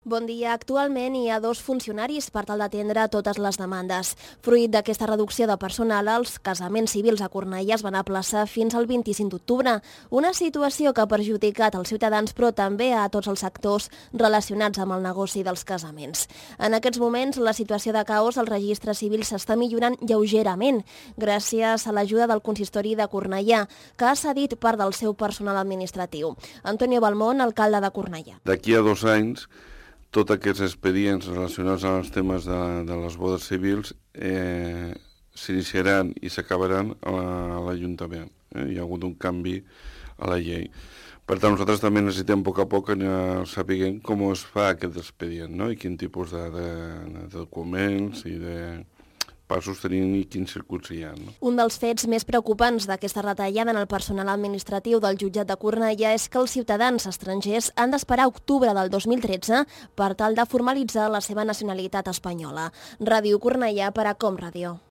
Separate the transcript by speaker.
Speaker 1: Bon dia. Actualment hi ha 2 funcionaris per tal d'atendre totes les demandes. Fruit d'aquesta reducció de personal, els casaments civils a Cornellà es van aplaçar fins al 25 d'octubre, una situació que ha perjudicat els ciutadans però també a tots els sectors relacionats amb el negoci dels casaments. En aquests moments, la situació de caos al registre civil s'està millorant lleugerament, gràcies a l'ajuda del consistori de Cornellà, que ha cedit part del seu personal administratiu. Antonio Balmón, alcalde de Cornellà.
Speaker 2: D'aquí a 2 anys, tots aquests expedients relacionats amb els temes de les bodes civils s'iniciaran i s'acabaran a l'Ajuntament. Hi ha hagut un canvi a la llei. Per tant, nosaltres també necessitem a poc anar sabent com es fa aquest expedient, no? I quin tipus de documents i de passos tenim i quins circuits hi ha. No?
Speaker 1: Un dels fets més preocupants d'aquesta retallada en el personal administratiu del jutjat de Cornellà és que els ciutadans estrangers han d'esperar octubre del 2013 per tal de formalitzar la seva nacionalitat espanyola. Ràdio Cornellà per a Com Ràdio.